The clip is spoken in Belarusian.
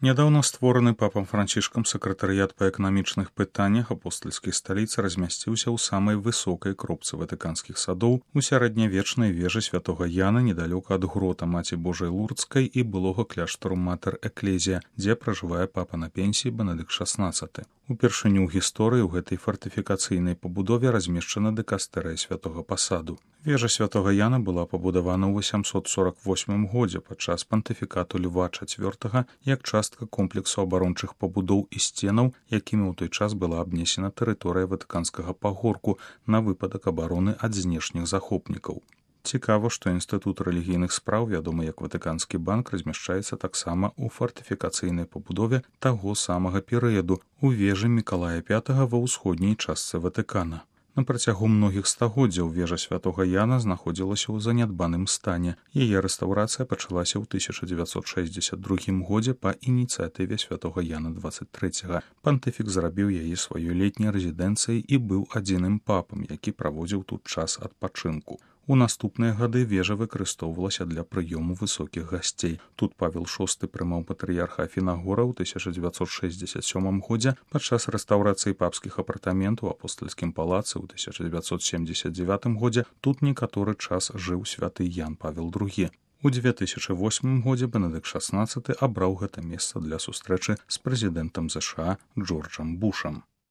Нядаўна створаны папам Францішкам сакратарыят па эканамічных пытаннях апостальскай сталіцы размясціўся ў самай высокай кропцы ватыканскіх садоў у сярэднявечнай вежы святога Яна недалёка ад грота Маці Божай Лурдскай і былога кляштару Матэр Эклезія, дзе пражывае папа на пенсіі Бенедыкт XVI. Упершыню ў гісторыі ў гэтай фартыфікацыйнай пабудове размешчана дыкастэрыя святога пасаду. Вежа святога Яна была пабудавана ў 848 годзе падчас пантыфікату Льва IV як частка комплексу абарончых пабудоў і сценаў, якімі ў той час была абнесена тэрыторыя ватыканскага пагорку на выпадак абароны ад знешніх захопнікаў. Цікава, што інстытут рэлігійных спраў, вядомы як Ватыканскі банк, размяшчаецца таксама ў фартыфікацыйнай пабудове таго самага перыяду у вежы Мікалая V ва ўсходняй частцы Ватыкана. На працягу многіх стагоддзяў вежа святога Яна знаходзілася ў занядбаным стане. Яе рэстаўрацыя пачалася ў 1962 годзе па ініцыятыве святога Яна XXIII. Пантыфік зрабіў яе сваёй летняй рэзідэнцыяй і быў адзіным папам, які праводзіў тут час адпачынку. У наступныя гады вежа выкарыстоўвалася для прыёму высокіх гасцей. Тут Павел VI прымаў патрыярха Афінагора ў 1967 годзе падчас рэстаўрацыі папскіх апартаментаў у апостальскім палацы ў 1979 годзе. Тут некаторы час жыў святы Ян Павел II. У 2008 годзе Бенедыкт XVI абраў гэта месца для сустрэчы з прэзідэнтам ЗША Джорджам Бушам.